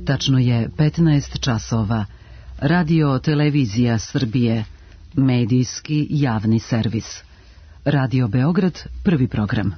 Tačno je 15 časova. Radio Televizija Srbije, medijski javni servis. Radio Beograd, prvi program.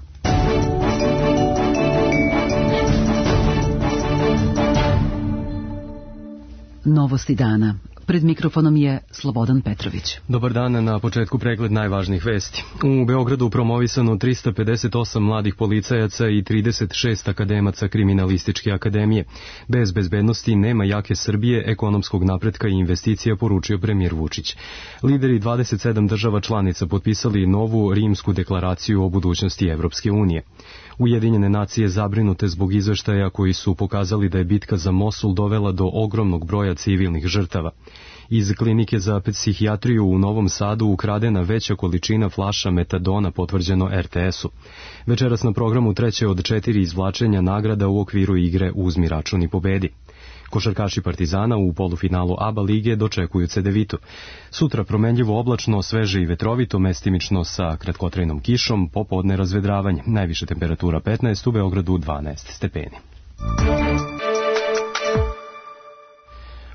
Novosti dana. Pred mikrofonom je Slobodan Petrović. Dobar dan, na početku pregled najvažnijih vesti. U Beogradu promovisano 358 mladih policajaca i 36 akademaca kriminalističke akademije. Bez bezbednosti nema jake Srbije, ekonomskog napretka i investicija, poručio premijer Vučić. Lideri 27 država članica potpisali novu rimsku deklaraciju o budućnosti Evropske unije. Ujedinjene nacije zabrinute zbog izveštaja koji su pokazali da je bitka za Mosul dovela do ogromnog broja civilnih žrtava. Iz klinike za psihijatriju u Novom Sadu ukradena veća količina flaša metadona, potvrđeno RTS-u. Večeras na programu treće od 4 izvlačenja nagrada u okviru igre Uzmi račun i pobedi. Košarkaši Partizana u polufinalu ABA lige dočekuju Cedevitu. Sutra promenljivo oblačno, sveže i vetrovito, mestimično sa kratkotrajnom kišom, popodne razvedravanje. Najviša temperatura 15, u Beogradu 12 stepeni.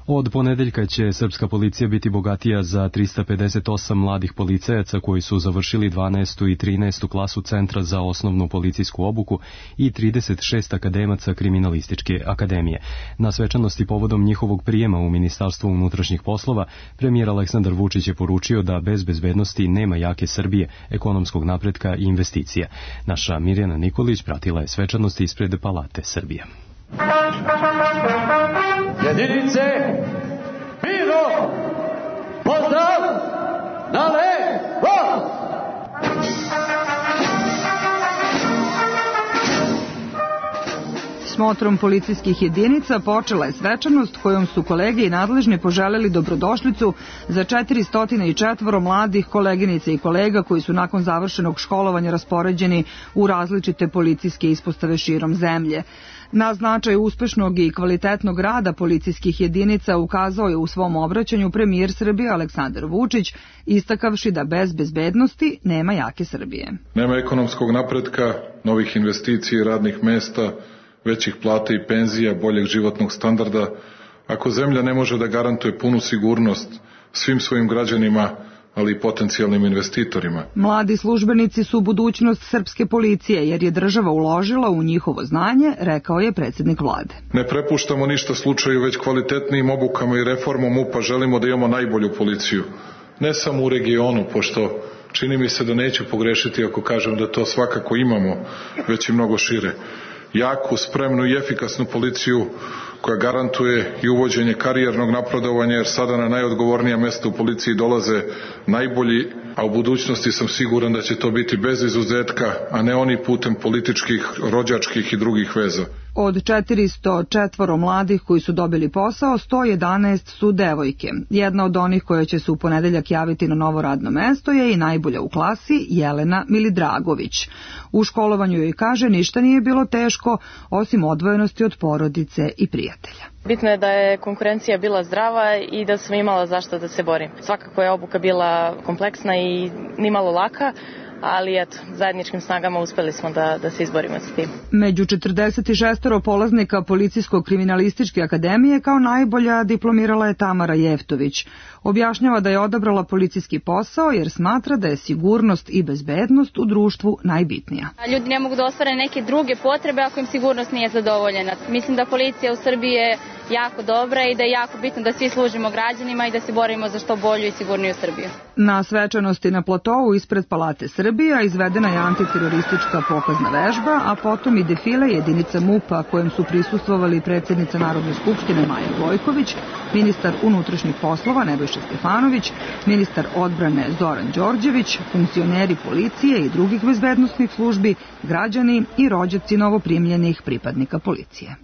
Od ponedeljka će srpska policija biti bogatija za 358 mladih policajaca koji su završili 12. i 13. klasu Centra za osnovnu policijsku obuku i 36 akademaca kriminalističke akademije. Na svečanosti povodom njihovog prijema u Ministarstvu unutrašnjih poslova, premijer Aleksandar Vučić je poručio da bez bezbednosti nema jake Srbije, ekonomskog napretka i investicija. Naša Mirjana Nikolić pratila je svečanosti ispred Palate Srbije. Jedinice, Piro, pozdrav, na levo! Smotrom policijskih jedinica počela je svečanost kojom su kolege i nadležni poželeli dobrodošlicu za 404 mladih koleginica i kolega koji su nakon završenog školovanja raspoređeni u različite policijske ispostave širom zemlje. Na značaj uspešnog i kvalitetnog rada policijskih jedinica ukazao je u svom obraćanju premijer Srbije Aleksandar Vučić, istakavši da bez bezbednosti nema jake Srbije. Nema ekonomskog napretka, novih investicija i radnih mesta, većih plata i penzija, boljeg životnog standarda, ako zemlja ne može da garantuje punu sigurnost svim svojim građanima, ali i potencijalnim investitorima. Mladi službenici su budućnost srpske policije, jer je država uložila u njihovo znanje, rekao je predsjednik vlade. Ne prepuštamo ništa slučaju, već kvalitetnijim obukama i reformom MUP-a želimo da imamo najbolju policiju. Ne samo u regionu, pošto čini mi se da neću pogrešiti ako kažem da to svakako imamo, već i mnogo šire. Jaku, spremnu i efikasnu policiju koja garantuje i uvođenje karijernog napredovanja, jer sada na najodgovornija mesta u policiji dolaze najbolji, a u budućnosti sam siguran da će to biti bez izuzetka, a ne oni putem političkih, rođačkih i drugih veza. Od 404 mladih koji su dobili posao, 111 su devojke. Jedna od onih koja će se u ponedeljak javiti na novo radno mesto je i najbolja u klasi, Jelena Milidragović. U školovanju joj kaže ništa nije bilo teško, osim odvojenosti od porodice i prijatelja. Bitno je da je konkurencija bila zdrava i da sam imala zašto da se borim. Svakako je obuka bila kompleksna i nimalo laka, ali eto, zajedničkim snagama uspeli smo da se izborimo sa tim. Među 46 polaznika Policijsko-kriminalističke akademije kao najbolja diplomirala je Tamara Jeftović. Objašnjava da je odabrala policijski posao jer smatra da je sigurnost i bezbednost u društvu najbitnija. Ljudi ne mogu da ostvare neke druge potrebe ako im sigurnost nije zadovoljena. Mislim da policija u Srbiji je jako dobra i da je jako bitno da svi služimo građanima i da se borimo za što bolju i sigurniju Srbiju. Na svečanosti na platovu ispred Palate Srbija izvedena je antiteroristička pokazna vežba, a potom i defile jedinica MUP-a kojem su prisustvovali predsjednica Narodne skupštine Maja Gojković, ministar unutrašnjih poslova Nebojša Stefanović, ministar odbrane Zoran Đorđević, funkcioneri policije i drugih bezbednosnih službi, građani i rođaci novoprimljenih pripadnika policije.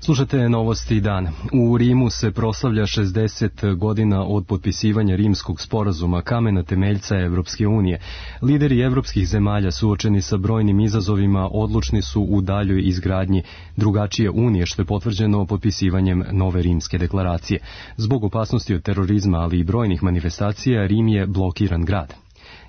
Slušate Novosti dana. U Rimu se proslavlja 60 godina od potpisivanja Rimskog sporazuma, kamena temeljca Evropske unije. Lideri evropskih zemalja suočeni sa brojnim izazovima odlučni su u daljoj izgradnji drugačije unije, što je potvrđeno potpisivanjem nove Rimske deklaracije. Zbog opasnosti od terorizma, ali i brojnih manifestacija, Rim je blokiran grad.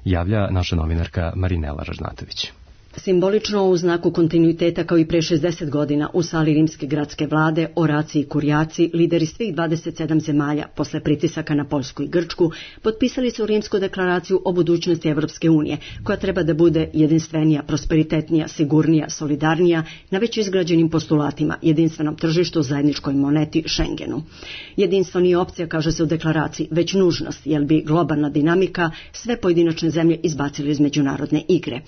Javlja naša novinarka Marinela Ražnatović. Simbolično u znaku kontinuiteta kao i pre 60 godina u sali rimske gradske vlade, oraci i kurjaci, lideri svih 27 zemalja posle pritisaka na Poljsku i Grčku, potpisali su Rimsku deklaraciju o budućnosti Evropske unije, koja treba da bude jedinstvenija, prosperitetnija, sigurnija, solidarnija, na već izgrađenim postulatima, jedinstvenom tržištu, zajedničkoj moneti, Schengenu. Jedinstvo nije opcija, kaže se u deklaraciji, već nužnost, jer bi globalna dinamika sve pojedinačne zemlje izbacili iz međunarodne igre.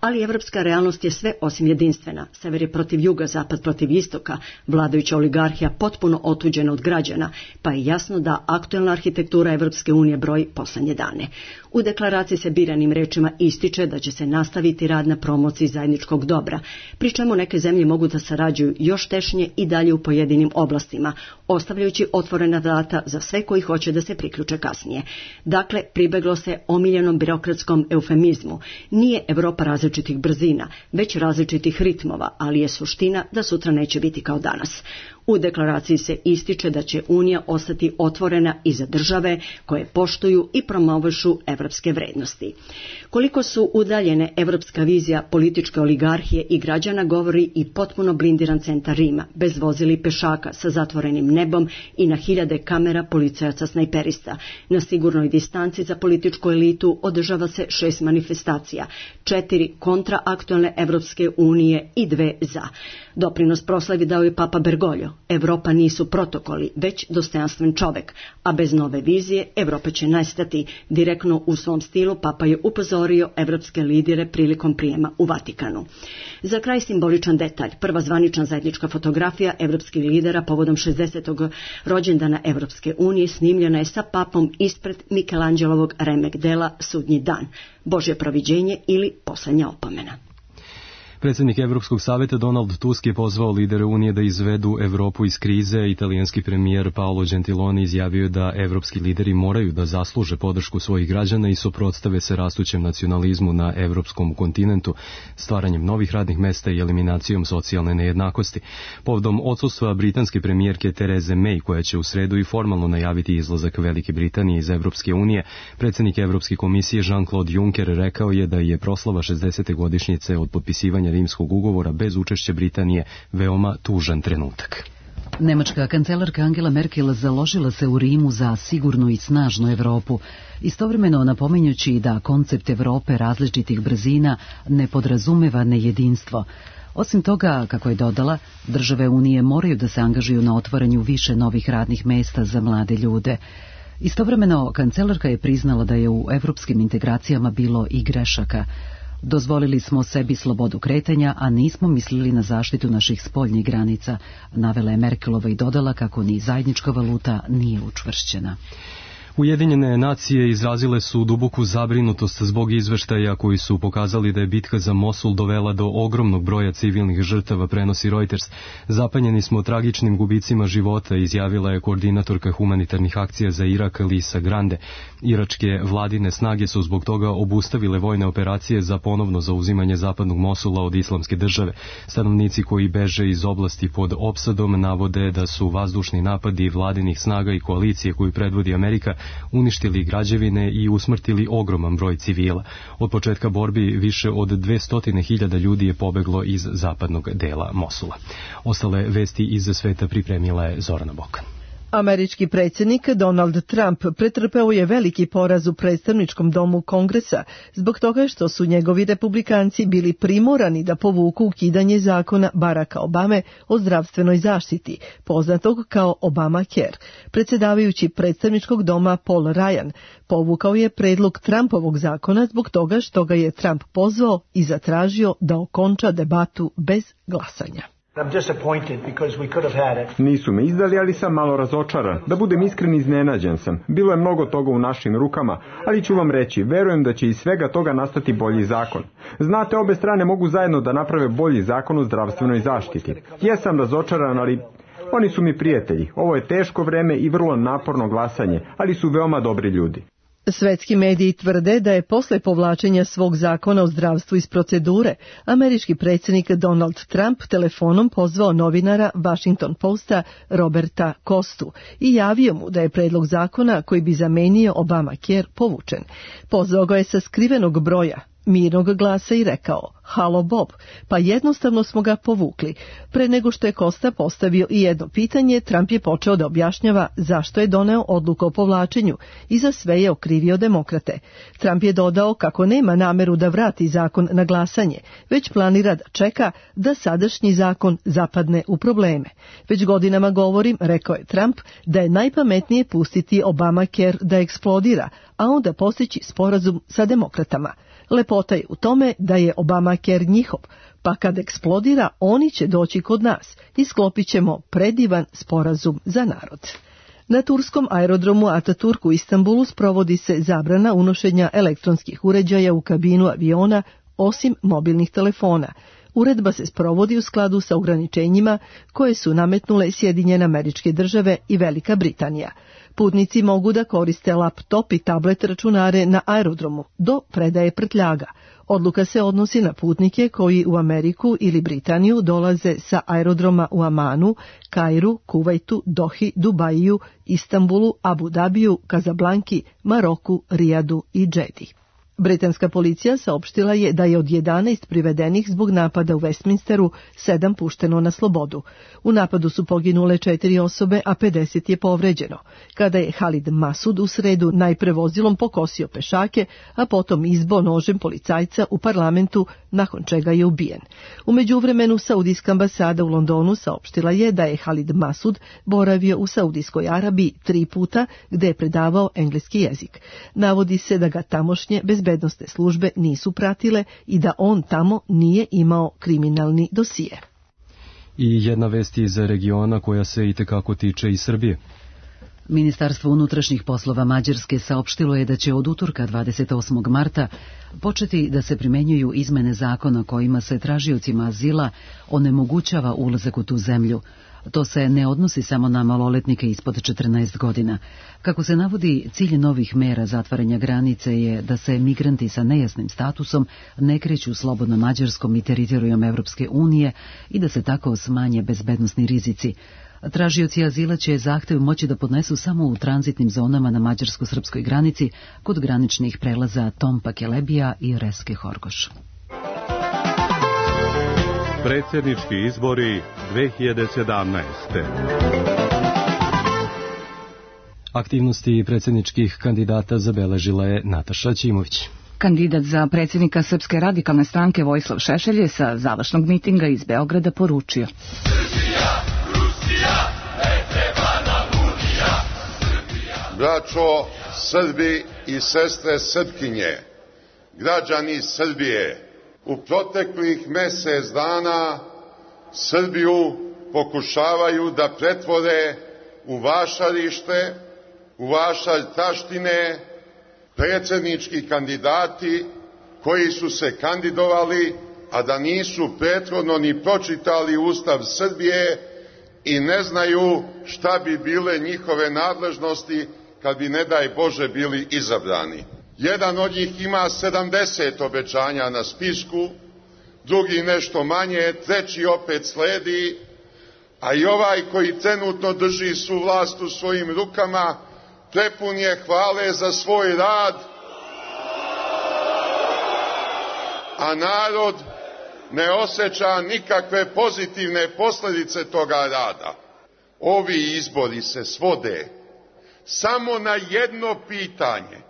Ali evropska realnost je sve osim jedinstvena. Sever je protiv juga, zapad protiv istoka, vladajuća oligarhija potpuno otuđena od građana, pa je jasno da aktuelna arhitektura Evropske unije broji poslednje dane. U deklaraciji se biranim rečima ističe da će se nastaviti rad na promociji zajedničkog dobra, pri čemu neke zemlje mogu da sarađuju još tešnje i dalje u pojedinim oblastima, ostavljajući otvorena vrata za sve koji hoće da se priključe kasnije. Dakle, pribeglo se omiljenom birokratskom eufemizmu. Nije Evropa različitih brzina, već različitih ritmova, ali je suština da sutra neće biti kao danas. U deklaraciji se ističe da će Unija ostati otvorena i za države koje poštuju i promovišu evropske vrednosti. Koliko su udaljene evropska vizija političke oligarhije i građana govori i potpuno blindiran centar Rima, bez vozila i pešaka, sa zatvorenim nebom i na hiljade kamera policajaca snajperista. Na sigurnoj distanci za političku elitu održava se 6 manifestacija, 4 kontra aktuelne Evropske unije i 2 za. Doprinos proslavi dao je Papa Bergoglio. Evropa nisu protokoli, već dostojanstven čovek, a bez nove vizije Evropa će nestati. Direktno u svom stilu Papa je upozorio evropske lidere prilikom prijema u Vatikanu. Za kraj simboličan detalj. Prva zvanična zajednička fotografija evropskih lidera povodom 60. rođendana Evropske unije snimljena je sa Papom ispred Mikelanđelovog remek dela Sudnji dan, Božje proviđenje ili Poslednja opomena. Predsjednik Evropskog savjeta Donald Tusk je pozvao lidere Unije da izvedu Evropu iz krize. Italijanski premijer Paolo Gentiloni izjavio da evropski lideri moraju da zasluže podršku svojih građana i suprotstave se rastućem nacionalizmu na evropskom kontinentu, stvaranjem novih radnih mesta i eliminacijom socijalne nejednakosti. Povodom odsustva britanske premijerke Therese May, koja će u sredu i formalno najaviti izlazak Velike Britanije iz Evropske unije, predsjednik Evropske komisije Jean-Claude Juncker rekao je da je proslava 60. godišnjice od potpisivanja Rimskog ugovora bez učešća Britanije veoma tužan trenutak. Nemačka kancelarka Angela Merkel založila se u Rimu za sigurnu i snažnu Evropu, istovremeno napominjući da koncept Evrope različitih brzina ne podrazumeva nejedinstvo. Osim toga, kako je dodala, države Unije moraju da se angažuju na otvaranju više novih radnih mesta za mlade ljude. Istovremeno, kancelarka je priznala da je u evropskim integracijama bilo i grešaka. Dozvolili smo sebi slobodu kretanja, a nismo mislili na zaštitu naših spoljnih granica, navela je Merkelova i dodala kako ni zajednička valuta nije učvršćena. Ujedinjene nacije izrazile su duboku zabrinutost zbog izveštaja koji su pokazali da je bitka za Mosul dovela do ogromnog broja civilnih žrtava, prenosi Reuters. Zapanjeni smo tragičnim gubicima života, izjavila je koordinatorka humanitarnih akcija za Irak Lisa Grande. Iračke vladine snage su zbog toga obustavile vojne operacije za ponovno zauzimanje zapadnog Mosula od islamske države. Stanovnici koji beže iz oblasti pod opsadom navode da su vazdušni napadi vladinih snaga i koalicije koju predvodi Amerika uništili građevine i usmrtili ogroman broj civila. Od početka borbi više od 200.000 ljudi je pobeglo iz zapadnog dela Mosula. Ostale vesti iz sveta pripremila je Zorana Bokan. Američki predsjednik Donald Trump pretrpeo je veliki poraz u predstavničkom domu Kongresa zbog toga što su njegovi republikanci bili primorani da povuku ukidanje zakona Baracka Obame o zdravstvenoj zaštiti, poznatog kao Obamacare. Predsjedavajući predstavničkog doma Paul Ryan povukao je predlog Trumpovog zakona zbog toga što ga je Trump pozvao i zatražio da okonča debatu bez glasanja. Nisu me izdali, ali sam malo razočaran. Da budem iskren, iznenađen sam. Bilo je mnogo toga u našim rukama, ali ću vam reći, verujem da će iz svega toga nastati bolji zakon. Znate, obe strane mogu zajedno da naprave bolji zakon o zdravstvenoj zaštiti. Jesam razočaran, ali oni su mi prijatelji. Ovo je teško vreme i vrlo naporno glasanje, ali su veoma dobri ljudi. Svetski mediji tvrde da je posle povlačenja svog zakona o zdravstvu iz procedure, američki predsjednik Donald Trump telefonom pozvao novinara Washington Posta Roberta Kostu i javio mu da je predlog zakona koji bi zamenio Obamacare povučen. Pozvao ga je sa skrivenog broja mirnog glasa i rekao: "Halo Bob", pa jednostavno smo ga povukli. Pre nego što je Costa postavio i jedno pitanje, Trump je počeo da objašnjava zašto je doneo odluku o povlačenju i za sve je okrivio demokrate. Trump je dodao kako nema nameru da vrati zakon na glasanje, već planira da čeka da sadašnji zakon zapadne u probleme. Već godinama govorim, rekao je Trump, da je najpametnije pustiti Obamacare da eksplodira, a onda postići sporazum sa demokratama. Lepota je u tome da je Obamacare njihov, pa kad eksplodira oni će doći kod nas i sklopit ćemo predivan sporazum za narod. Na turskom aerodromu Ataturk u Istanbulu sprovodi se zabrana unošenja elektronskih uređaja u kabinu aviona osim mobilnih telefona. Uredba se sprovodi u skladu sa ograničenjima koje su nametnule Sjedinjene Američke Države i Velika Britanija. Putnici mogu da koriste laptop i tablet računare na aerodromu do predaje prtljaga. Odluka se odnosi na putnike koji u Ameriku ili Britaniju dolaze sa aerodroma u Amanu, Kairu, Kuvajtu, Dohi, Dubaju, Istanbulu, Abu Dabiju, Kazablanki, Maroku, Rijadu i Džedi. Britanska policija saopštila je da je od 11 privedenih zbog napada u Westminsteru 7 pušteno na slobodu. U napadu su poginule 4 osobe, a 50 je povređeno. Kada je Halid Masud u sredu najpre vozilom pokosio pešake, a potom izbo nožem policajca u parlamentu, nakon čega je ubijen. U međuvremenu Saudijska ambasada u Londonu saopštila je da je Halid Masud boravio u Saudijskoj Arabiji 3 puta, gde je predavao engleski jezik. Navodi se da ga tamošnje bezbednosne službe nisu pratile i da on tamo nije imao kriminalni dosije. I jedna vest iz regiona koja se itekako tiče i Srbije. Ministarstvo unutrašnjih poslova Mađarske saopštilo je da će od utorka 28. marta početi da se primenjuju izmene zakona kojima se tražiocima azila onemogućava ulazak u tu zemlju. To se ne odnosi samo na maloletnike ispod 14 godina. Kako se navodi, cilj novih mera zatvaranja granice je da se migranti sa nejasnim statusom ne kreću slobodno Mađarskom i teritorijom Evropske unije i da se tako smanje bezbednosni rizici. Tražioci azila će zahtev moći da podnesu samo u tranzitnim zonama na mađarsko-srpskoj granici kod graničnih prelaza Tompa Kelebija i Reske Horgoš. Predsjednički izbori 2017. Aktivnosti predsjedničkih kandidata zabeležila je Nataša Ćimović. Kandidat za predsjednika Srpske radikalne stranke Vojislav Šešelj je sa završnog mitinga iz Beograda poručio: Srbija, Rusija, ne treba nam Unija. Braćo Srbi i sestre Srpkinje, građani Srbije, u proteklih mjesec dana Srbiju pokušavaju da pretvore u vašarište, u vašar taštine, predsjednički kandidati koji su se kandidovali, a da nisu prethodno ni pročitali Ustav Srbije i ne znaju šta bi bile njihove nadležnosti kad bi, ne daj Bože, bili izabrani. Jedan od njih ima 70 obećanja na spisku, drugi nešto manje, treći opet sledi, a i ovaj koji trenutno drži svu vlast u svojim rukama prepun je hvale za svoj rad, a narod ne osjeća nikakve pozitivne posljedice toga rada. Ovi izbori se svode samo na jedno pitanje: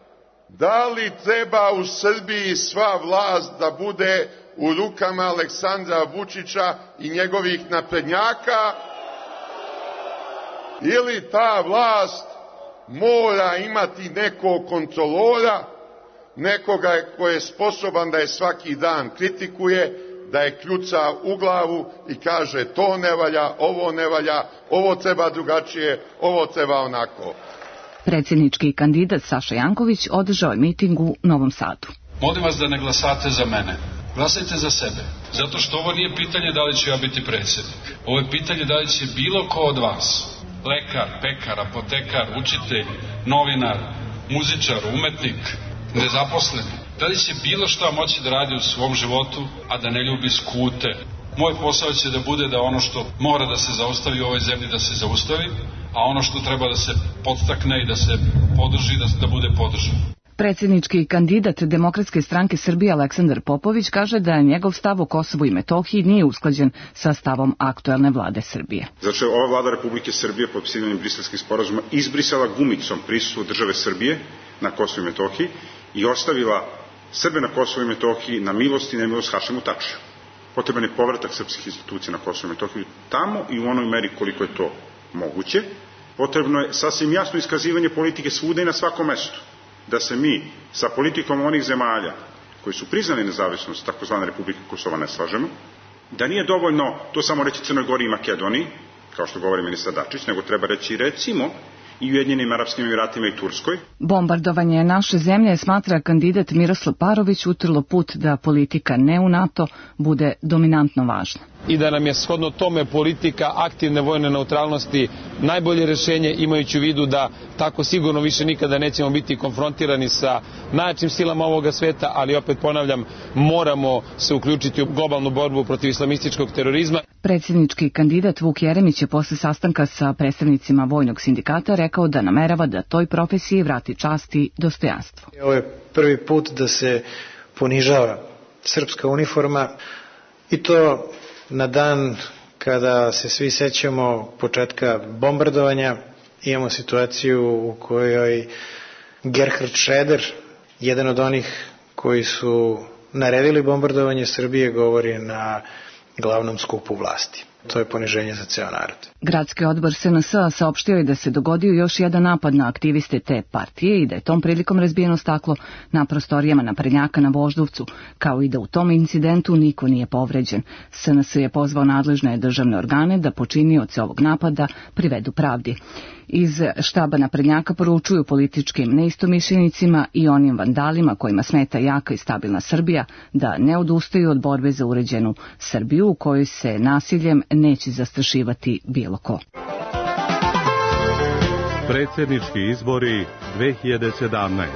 da li treba u Srbiji sva vlast da bude u rukama Aleksandra Vučića i njegovih naprednjaka, ili ta vlast mora imati nekog kontrolora, nekoga ko je sposoban da je svaki dan kritikuje, da je kljuca u glavu i kaže to ne valja, ovo treba drugačije, ovo treba onako. Predsjednički kandidat Saša Janković održao je miting u Novom Sadu. Molim vas da ne glasate za mene. Glasajte za sebe. Zato što ovo nije pitanje da li ću ja biti predsjednik. Ovo je pitanje da li će bilo ko od vas, lekar, pekar, apotekar, učitelj, novinar, muzičar, umetnik, nezaposleni, da li će bilo šta moći da radi u svom životu, a da ne ljubi skute. Moj posao će da bude da ono što mora da se zaustavi u ovoj zemlji da se zaustavi, a ono što treba da se podstakne i da se podrži, da bude podržano. Predsjednički kandidat Demokratske stranke Srbije Aleksandar Popović kaže da njegov stav o Kosovu i Metohiji nije usklađen sa stavom aktuelne vlade Srbije. Znači, ova vlada Republike Srbije potpisivanjem briselskih sporazuma izbrisala gumicom prisustvo države Srbije na Kosovu i Metohiji i ostavila Srbe na Kosovu i Metohiji na milost i nemilost Hašimu Tačiju. Potreban je povratak srpskih institucija na Kosovu i Metohiji tamo i u onoj meri koliko je to moguće. Potrebno je sasvim jasno iskazivanje politike svuda i na svakom mestu. Da se mi sa politikom onih zemalja koji su priznali nezavisnost takozvane Republike Kosova ne slažemo, da nije dovoljno to samo reći Crnoj Gori i Makedoniji, kao što govori ministar Dačić, nego treba reći recimo i Ujedinjenim Arapskim Emiratima i Turskoj. Bombardovanje naše zemlje smatra kandidat Miroslav Parović utrlo put da politika ne u NATO bude dominantno važna. I da nam je shodno tome politika aktivne vojne neutralnosti najbolje rješenje, imajući u vidu da tako sigurno više nikada nećemo biti konfrontirani sa najjačim silama ovoga sveta, ali opet ponavljam, moramo se uključiti u globalnu borbu protiv islamističkog terorizma. Predsjednički kandidat Vuk Jeremić je posle sastanka sa predstavnicima vojnog sindikata rekao da namerava da toj profesiji vrati čast i dostojanstvo. Ovo je prvi put da se ponižava srpska uniforma i to na dan kada se svi sećamo početka bombardovanja. Imamo situaciju u kojoj Gerhard Schröder, jedan od onih koji su naredili bombardovanje Srbije, govori na glavnom skupu vlasti. To je poniženje za ceo narod. Gradski odbor SNS-a saopštio je da se dogodio još jedan napad na aktiviste te partije i da je tom prilikom razbijeno staklo na prostorijama naprednjaka na Voždovcu, kao i da u tom incidentu niko nije povređen. SNS je pozvao nadležne državne organe da počinioce ovog napada privedu pravdi. Iz štaba naprednjaka poručuju političkim neistomišljenicima i onim vandalima kojima smeta jaka i stabilna Srbija da ne odustaju od borbe za uređenu Srbiju u kojoj se nasiljem neće zastrašivati bilo ko. Predsjednički izbori 2017.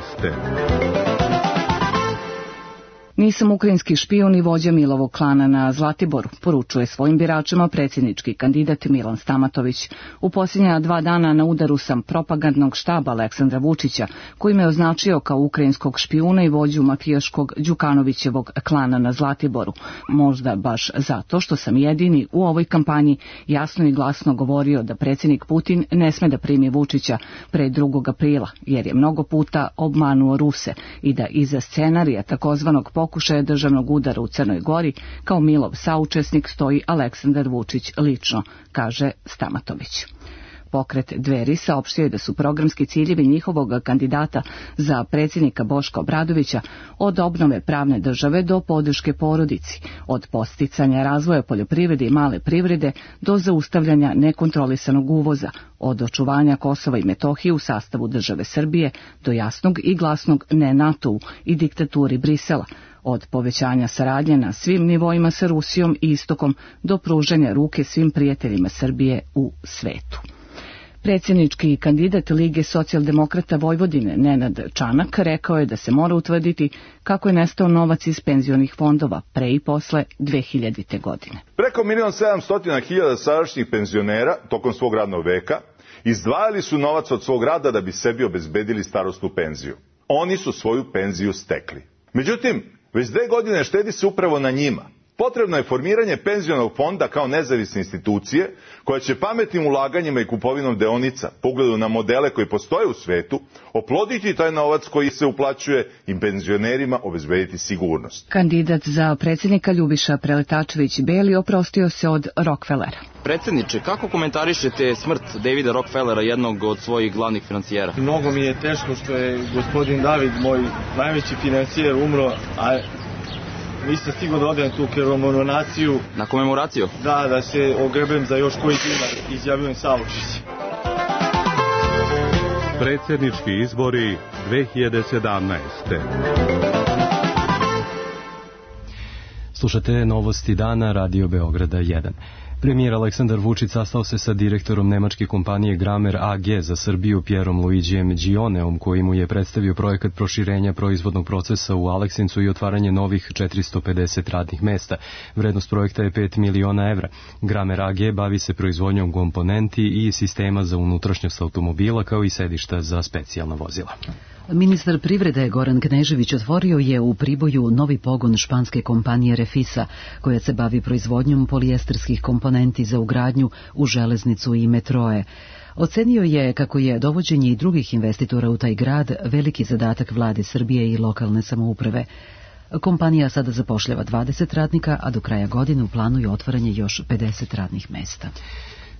Nisam ukrajinski špijun i vođa Milovog klana na Zlatiboru, poručuje svojim biračima predsjednički kandidat Milan Stamatović. U posljednja 2 dana na udaru sam propagandnog štaba Aleksandra Vučića, koji me označio kao ukrajinskog špijuna i vođu mafijaškog Đukanovićevog klana na Zlatiboru. Možda baš zato što sam jedini u ovoj kampanji jasno i glasno govorio da predsjednik Putin ne sme da primi Vučića pre 2. aprila, jer je mnogo puta obmanuo Ruse i da iza scenarija takozvanog pokušaja državnog udara u Crnoj Gori kao Milov saučesnik stoji Aleksandar Vučić lično, kaže Stamatović. Pokret Dveri saopštio je da su programski ciljevi njihovog kandidata za predsjednika Boška Obradovića od obnove pravne države do podrške porodici, od podsticanja razvoja poljoprivrede i male privrede do zaustavljanja nekontrolisanog uvoza, od očuvanja Kosova i Metohije u sastavu države Srbije do jasnog i glasnog ne NATO-u i diktaturi Brisela, od povećanja saradnje na svim nivoima sa Rusijom i Istokom do pružanja ruke svim prijateljima Srbije u svetu. Predsjednički kandidat Lige socijaldemokrata Vojvodine Nenad Čanak rekao je da se mora utvrditi kako je nestao novac iz penzionih fondova pre i posle 2000. godine. Preko 1.700.000 sadašnjih penzionera tokom svog radnog veka izdvajali su novac od svog rada da bi sebi obezbedili starosnu penziju. Oni su svoju penziju stekli. Međutim, već 2 godine štedi se upravo na njima. Potrebno je formiranje penzionog fonda kao nezavisne institucije koja će pametnim ulaganjima i kupovinom deonica, po ugledu na modele koji postoje u svetu, oploditi taj novac koji se uplaćuje i penzionerima obezbediti sigurnost. Kandidat za predsjednika Ljubiša Preletačević-Beli oprostio se od Rockefellera. Predsjedniče, kako komentarišete smrt Davida Rockefellera, jednog od svojih glavnih financijera? Mnogo mi je teško što je gospodin David, moj najveći financijer, umro, a nisam stigao da odem tu komemoraciju. Na komemoraciju? Da se ogrebem za još koji dinar, izjavljujem saučešće. Predsjednički izbori 2017. Slušate Novosti dana Radio Beograda 1. Premijer Aleksandar Vučić sastao se sa direktorom nemačke kompanije Gramer AG za Srbiju Pierom Luigijem Gioneom, koji mu je predstavio projekat proširenja proizvodnog procesa u Aleksincu i otvaranje novih 450 radnih mesta. Vrednost projekta je 5 miliona evra. Gramer AG bavi se proizvodnjom komponenti i sistema za unutrašnjost automobila, kao i sedišta za specijalna vozila. Ministar privrede Goran Knežević otvorio je u Priboju novi pogon španske kompanije Refisa, koja se bavi proizvodnjom polijesterskih komponenti za ugradnju u železnicu i metroe. Ocenio je kako je dovođenje i drugih investitora u taj grad veliki zadatak vlade Srbije i lokalne samouprave. Kompanija sada zapošljava 20 radnika, a do kraja godine u planu je otvaranje još 50 radnih mesta.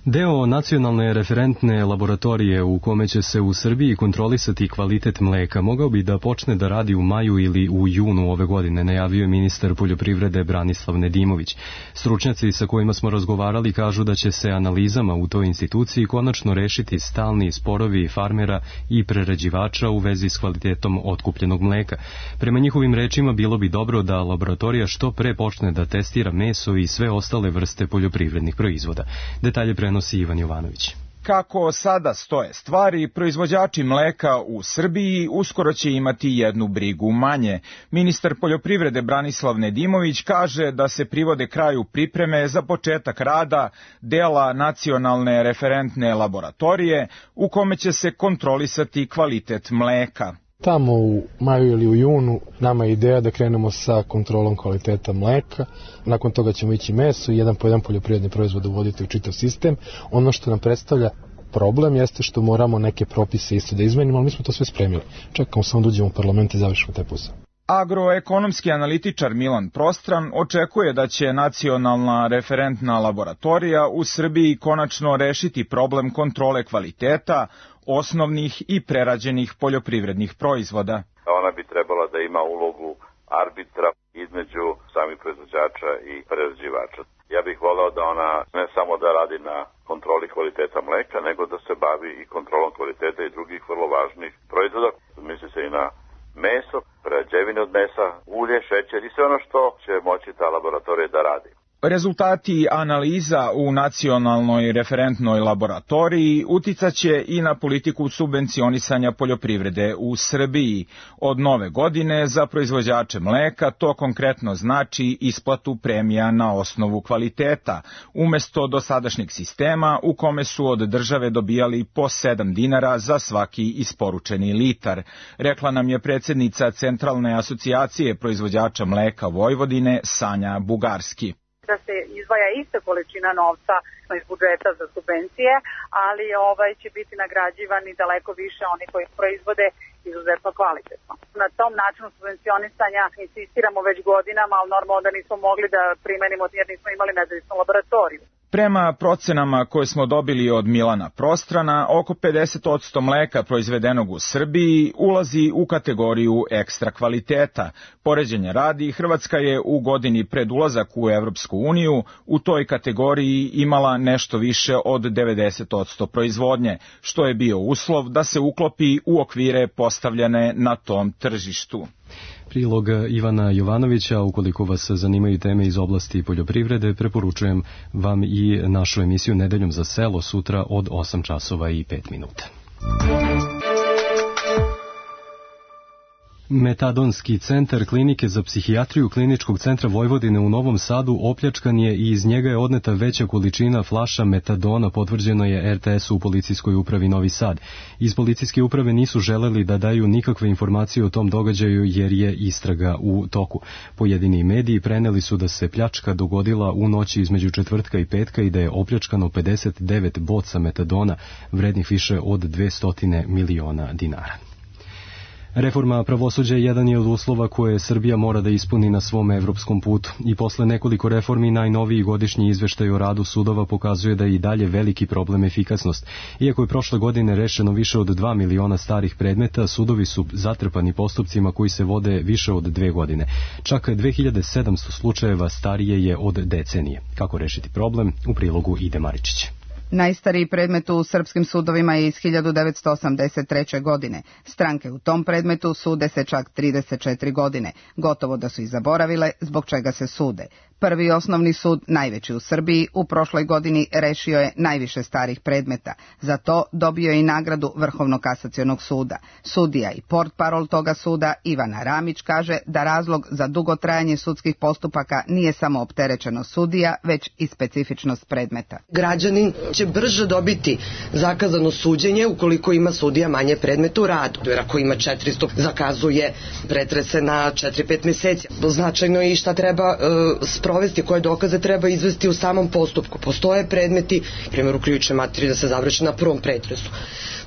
Deo nacionalne referentne laboratorije u kome će se u Srbiji kontrolisati kvalitet mleka mogao bi da počne da radi u maju ili u junu ove godine, najavio je ministar poljoprivrede Branislav Nedimović. Stručnjaci sa kojima smo razgovarali kažu da će se analizama u toj instituciji konačno rešiti stalni sporovi farmera i prerađivača u vezi s kvalitetom otkupljenog mleka. Prema njihovim rečima bilo bi dobro da laboratorija što pre počne da testira meso i sve ostale vrste poljoprivrednih proizvoda. Detalje prenosi Ivan Jovanović. Kako sada stoje stvari, proizvođači mleka u Srbiji uskoro će imati jednu brigu manje. Ministar poljoprivrede Branislav Nedimović kaže da se privode kraju pripreme za početak rada dela nacionalne referentne laboratorije u kome će se kontrolisati kvalitet mleka. Tamo u maju ili u junu nama je ideja da krenemo sa kontrolom kvaliteta mleka, nakon toga ćemo ići meso i jedan po jedan poljoprivredni proizvod uvoditi u čitav sistem. Ono što nam predstavlja problem jeste što moramo neke propise isto da izmenimo, ali mi smo to sve spremili. Čekamo samo da uđemo u parlament i završimo taj posao. Agroekonomski analitičar Milan Prostran očekuje da će nacionalna referentna laboratorija u Srbiji konačno rešiti problem kontrole kvaliteta osnovnih i prerađenih poljoprivrednih proizvoda. Ona bi trebala da ima ulogu arbitra između samih proizvođača i prerađivača. Ja bih voleo da ona ne samo da radi na kontroli kvaliteta mleka, nego da se bavi i kontrolom kvaliteta i drugih vrlo važnih proizvoda. Misli se i na meso, prerađevine od mesa, ulje, šećer i sve ono što će moći ta laboratorija da radi. Rezultati analiza u nacionalnoj referentnoj laboratoriji uticaće i na politiku subvencionisanja poljoprivrede u Srbiji. Od nove godine za proizvođače mleka to konkretno znači isplatu premija na osnovu kvaliteta, umesto dosadašnjeg sistema u kome su od države dobijali po 7 dinara za svaki isporučeni litar, rekla nam je predsjednica Centralne asocijacije proizvođača mleka Vojvodine Sanja Bugarski. Da se izdvaja ista količina novca iz budžeta za subvencije, ali će biti nagrađivani daleko više oni koji proizvode izuzetno kvalitetno. Na tom načinu subvencionisanja insistiramo već godinama, ali normalno da nismo mogli da primenimo jer nismo imali nezavisnu laboratoriju. Prema procenama koje smo dobili od Milana Prostrana, oko 50% mleka proizvedenog u Srbiji ulazi u kategoriju ekstra kvaliteta. Poređenja radi, Hrvatska je u godini pred ulazak u Evropsku uniju u toj kategoriji imala nešto više od 90% proizvodnje, što je bio uslov da se uklopi u okvire postavljene na tom tržištu. Prilog Ivana Jovanovića. Ukoliko vas zanimaju teme iz oblasti poljoprivrede, preporučujem vam i našu emisiju Nedeljom za selo sutra od 8 časova i 5 minuta. Metadonski centar klinike za psihijatriju Kliničkog centra Vojvodine u Novom Sadu opljačkan je i iz njega je odneta veća količina flaša metadona, potvrđeno je RTS-u u policijskoj upravi Novi Sad. Iz policijske uprave nisu želeli da daju nikakve informacije o tom događaju jer je istraga u toku. Pojedini mediji preneli su da se pljačka dogodila u noći između četvrtka i petka i da je opljačkano 59 boca metadona vrednih više od 200 miliona dinara. Reforma pravosuđa jedan je od uslova koje Srbija mora da ispuni na svom evropskom putu i posle nekoliko reformi najnoviji godišnji izveštaj o radu sudova pokazuje da je i dalje veliki problem efikasnost. Iako je prošle godine rešeno više od 2 miliona starih predmeta, sudovi su zatrpani postupcima koji se vode više od 2 godine. Čak 2700 slučajeva starije je od decenije. Kako rešiti problem? U prilogu Ide Maričić. Najstariji predmet u srpskim sudovima je iz 1983. godine. Stranke u tom predmetu sude se čak 34 godine. Gotovo da su i zaboravile zbog čega se sude. Prvi osnovni sud, najveći u Srbiji, u prošloj godini rešio je najviše starih predmeta. Za to dobio je i nagradu Vrhovnog kasacionog suda. Sudija i portparol toga suda, Ivana Ramić, kaže da razlog za dugo trajanje sudskih postupaka nije samo opterećenost sudija, već i specifičnost predmeta. Građanin će brže dobiti zakazano suđenje ukoliko ima sudija manje predmeta u radu. Jer ako ima 400, zakazuje pretrese na 4-5 meseci. Značajno je i šta treba sprovesti, koje dokaze treba izvesti u samom postupku. Postoje predmeti, primjer u krivičnoj materiji, da se završi na prvom pretresu.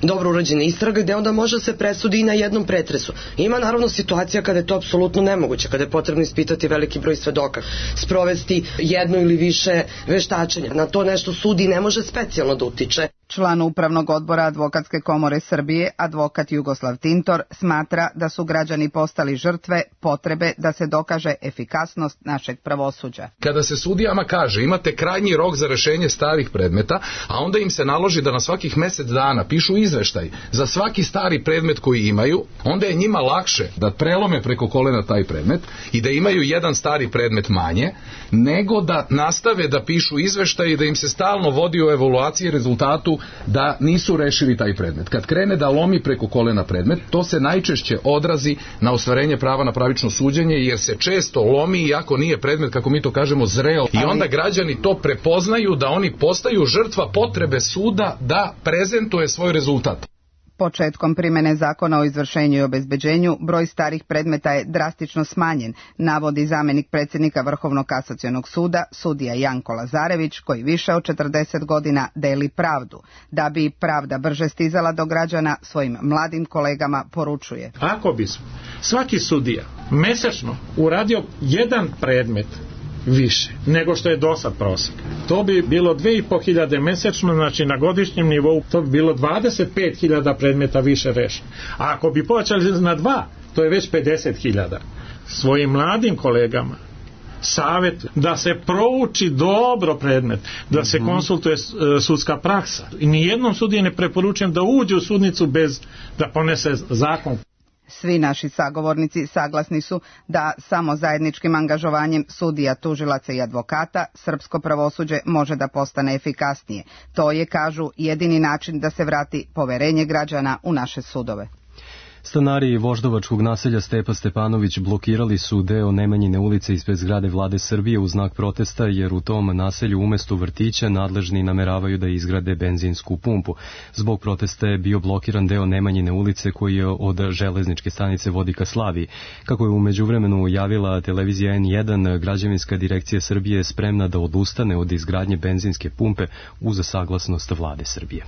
Dobro urađena istraga gde onda može se presudi i na jednom pretresu. Ima naravno situacija kada je to apsolutno nemoguće, kada je potrebno ispitati veliki broj svedoka, sprovesti jedno ili više veštačenja. Na to nešto sudi ne može specijalno da utiče. Član Upravnog odbora Advokatske komore Srbije, advokat Jugoslav Tintor, smatra da su građani postali žrtve potrebe da se dokaže efikasnost našeg pravosuđa. Kada se sudijama kaže imate krajnji rok za rešenje starih predmeta, a onda im se naloži da na svakih mesec dana pišu izveštaj za svaki stari predmet koji imaju, onda je njima lakše da prelome preko kolena taj predmet i da imaju jedan stari predmet manje, nego da nastave da pišu izveštaj i da im se stalno vodi u evaluaciji i rezultatu da nisu rešili taj predmet. Kad krene da lomi preko kolena predmet, to se najčešće odrazi na ostvarenje prava na pravično suđenje, jer se često lomi iako nije predmet, kako mi to kažemo, zreo. I onda građani to prepoznaju da oni postaju žrtva potrebe suda da prezentuje svoj rezultat. Početkom primene zakona o izvršenju i obezbeđenju, broj starih predmeta je drastično smanjen, navodi zamenik predsjednika Vrhovnog kasacionog suda, sudija Janko Lazarević, koji više od 40 godina deli pravdu. Da bi pravda brže stizala do građana, svojim mladim kolegama poručuje. Ako bismo svaki sudija mesečno uradio jedan predmet više nego što je dosad prosek, to bi bilo 2500 mesečno, znači na godišnjem nivou to bi bilo 25.000 predmeta više rešeno. A ako bi povećali na 2, to je već 50.000. Svojim mladim kolegama savjet da se prouči dobro predmet, da se konsultuje sudska praksa. I nijednom sudiji ne preporučujem da uđe u sudnicu bez da ponese zakon. Svi naši sagovornici saglasni su da samo zajedničkim angažovanjem sudija, tužilaca i advokata srpsko pravosuđe može da postane efikasnije. To je, kažu, jedini način da se vrati poverenje građana u naše sudove. Stanari voždovačkog naselja Stepa Stepanović blokirali su deo Nemanjine ulice ispred zgrade Vlade Srbije u znak protesta, jer u tom naselju umesto vrtića nadležni nameravaju da izgrade benzinsku pumpu. Zbog protesta je bio blokiran deo Nemanjine ulice koji je od železničke stanice vodi ka Slaviji. Kako je u međuvremenu javila televizija N1, građevinska direkcija Srbije je spremna da odustane od izgradnje benzinske pumpe uz saglasnost Vlade Srbije.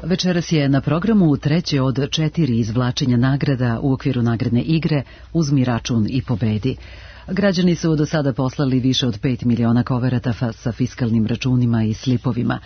Večeras je na programu treće od 4 izvlačenja nagrada u okviru nagradne igre Uzmi račun i pobedi. Građani su do sada poslali više od 5 miliona koverata sa fiskalnim računima i slipovima.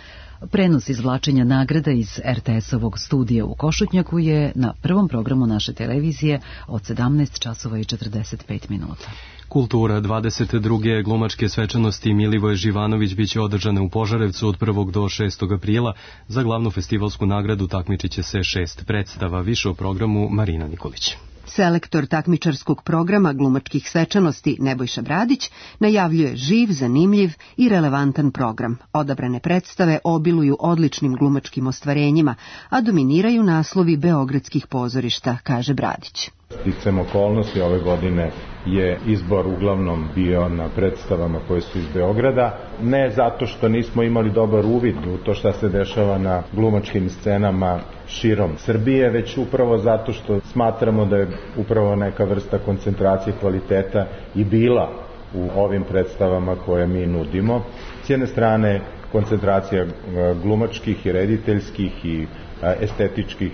Prenos izvlačenja nagrada iz RTS-ovog studija u Košutnjaku je na prvom programu naše televizije od 17 časova i 45 minuta. Kultura 22. glumačke svečanosti Milivoje Živanović biće održane u Požarevcu od 1. do 6. aprila. Za glavnu festivalsku nagradu takmičit će se 6 predstava. Više o programu Marina Nikolić. Selektor takmičarskog programa glumačkih svečanosti Nebojša Bradić najavljuje živ, zanimljiv i relevantan program. Odabrane predstave obiluju odličnim glumačkim ostvarenjima, a dominiraju naslovi beogradskih pozorišta, kaže Bradić. Sticam okolnosti ove godine je izbor uglavnom bio na predstavama koje su iz Beograda, ne zato što nismo imali dobar uvid u to šta se dešava na glumačkim scenama širom Srbije, već upravo zato što smatramo da je upravo neka vrsta koncentracije kvaliteta i bila u ovim predstavama koje mi nudimo. S jedne strane koncentracija glumačkih i rediteljskih i estetičkih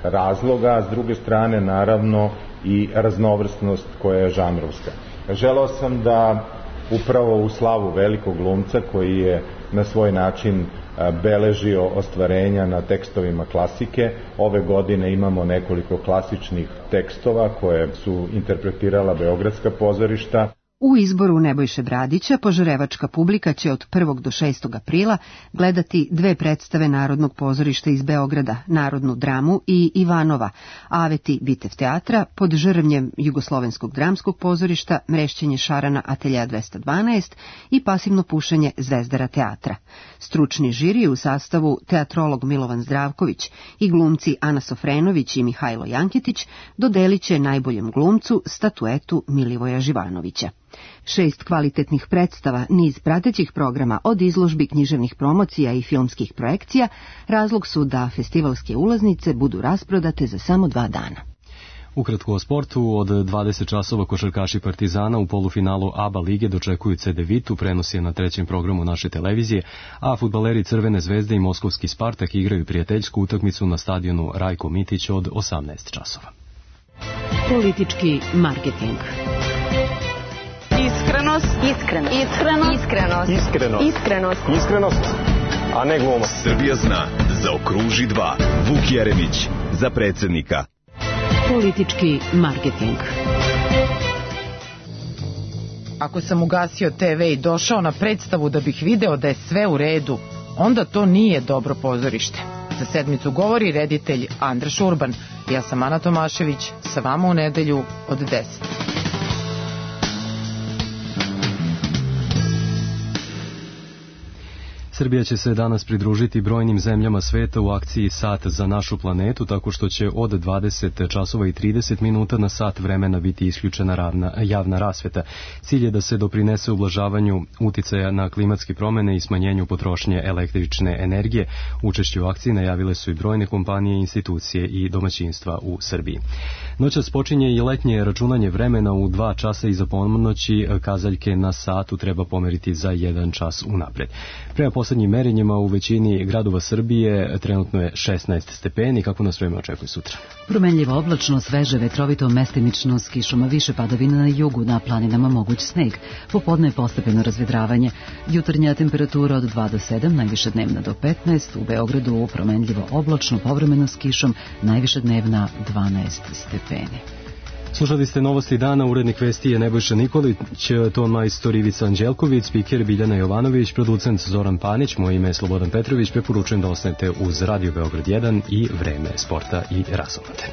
razloga, a s druge strane naravno i raznovrsnost koja je žanrovska. Želeo sam da upravo u slavu velikog glumca koji je na svoj način beležio ostvarenja na tekstovima klasike. Ove godine imamo nekoliko klasičnih tekstova koje su interpretirala beogradska pozorišta. U izboru Nebojše Bradića požarevačka publika će od 1. do 6. aprila gledati dve predstave Narodnog pozorišta iz Beograda, Narodnu dramu i Ivanova, Aveti Bitev teatra pod žrvnjem Jugoslovenskog dramskog pozorišta, Mrešćenje šarana Atelja 212 i Pasivno pušenje Zvezdara teatra. Stručni žiri u sastavu teatrolog Milovan Zdravković i glumci Ana Sofrenović i Mihajlo Jankitić dodelit će najboljem glumcu statuetu Milivoja Živanovića. 6 kvalitetnih predstava, niz pratećih programa od izložbi, književnih promocija i filmskih projekcija razlog su da festivalske ulaznice budu rasprodate za samo 2 dana. Ukratko o sportu, od 20 časova košarkaši Partizana u polufinalu ABA lige dočekuju CD Vitu, prenos je na 3. programu naše televizije, a fudbaleri Crvene zvezde i Moskovski Spartak igraju prijateljsku utakmicu na stadionu Rajko Mitić od 18 časova. Politički marketing. Iskrenost, a ne glumost. Srbija zna, zaokruži 2. Vuk Jeremić za predsjednika. Politički marketing. Ako sam ugasio TV i došao na predstavu da bih video da je sve u redu, onda to nije dobro pozorište. Za sedmicu govori reditelj Andraš Urban. Ja sam Ana Tomašević, sa vama u nedelju od 10. Srbija će se danas pridružiti brojnim zemljama sveta u akciji Sat za našu planetu, tako što će od 20 časova i 30 minuta na sat vremena biti isključena javna rasveta. Cilj je da se doprinese ublažavanju uticaja na klimatske promjene i smanjenju potrošnje električne energije. Učešće u akciji najavile su i brojne kompanije, institucije i domaćinstva u Srbiji. Noćas počinje i letnje računanje vremena u 2 časa iza ponoći, kazaljke na satu treba pomeriti za 1 čas unapred. Prema poslednjim merenjima u većini gradova Srbije trenutno je 16 stepeni. Kako nas vreme očekuje sutra? Promenljivo oblačno, sveže, vetrovito, mestimično s kišom, više padavina na jugu, na planinama moguć sneg. Popodne postepeno razvedravanje. Jutarnja temperatura od 2 do 7, najviše dnevna do 15. U Beogradu promenljivo oblačno, povremeno s kišom, najviše dnevna 12 stepeni. Slušali ste novosti dana, urednik vesti je Nebojša Nikolić, ton majstor Ivica Anđelković, spiker Biljana Jovanović, producent Zoran Panić, moje ime je Slobodan Petrović, preporučujem da ostanete uz Radio Beograd 1 i Vreme sporta i razonode.